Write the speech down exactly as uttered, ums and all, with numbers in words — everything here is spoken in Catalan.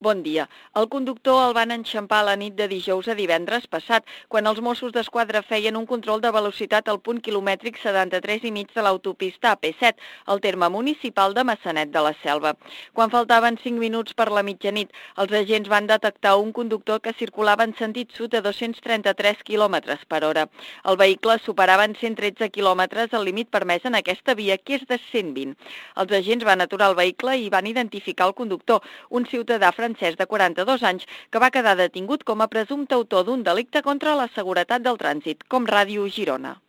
Bon dia. El conductor el van enxampar la nit de dijous a divendres passat, quan els Mossos d'Esquadra feien un control de velocitat al punt quilomètric setanta-tres i mig de l'autopista A P set, al terme municipal de Maçanet de la Selva. Quan faltaven cinc minuts per la mitjanit, els agents van detectar un conductor que circulava en sentit sud a dos-cents trenta-tres quilòmetres per hora. El vehicle superava en cent tretze quilòmetres el límit permès en aquesta via, que és de cent vint. Els agents van aturar el vehicle i van identificar el conductor, un ciutadà francès de quaranta-dos anys, que va quedar detingut com a presumpte autor d'un delicte contra la seguretat del trànsit, com Ràdio Girona.